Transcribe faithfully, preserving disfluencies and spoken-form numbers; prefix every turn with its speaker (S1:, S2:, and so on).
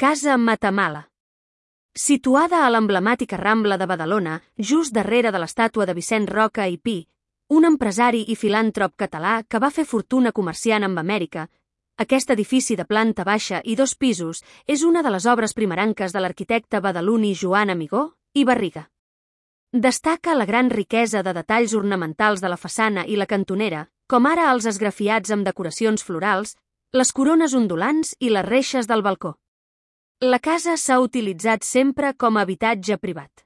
S1: Casa Matamala. Situada a l'emblemàtica Rambla de Badalona, just darrere de l'estàtua de Vicent Roca i Pi, un empresari i filàntrop català que va fer fortuna comerciant amb Amèrica, aquest edifici de planta baixa i dos pisos és una de les obres primerenques de l'arquitecte badaloní Joan Amigó i Barriga. Destaca la gran riquesa de detalls ornamentals de la façana i la cantonera, com ara els esgrafiats amb decoracions florals, les corones ondulants i les reixes del balcó. La casa s'ha utilitzat sempre com a habitatge privat.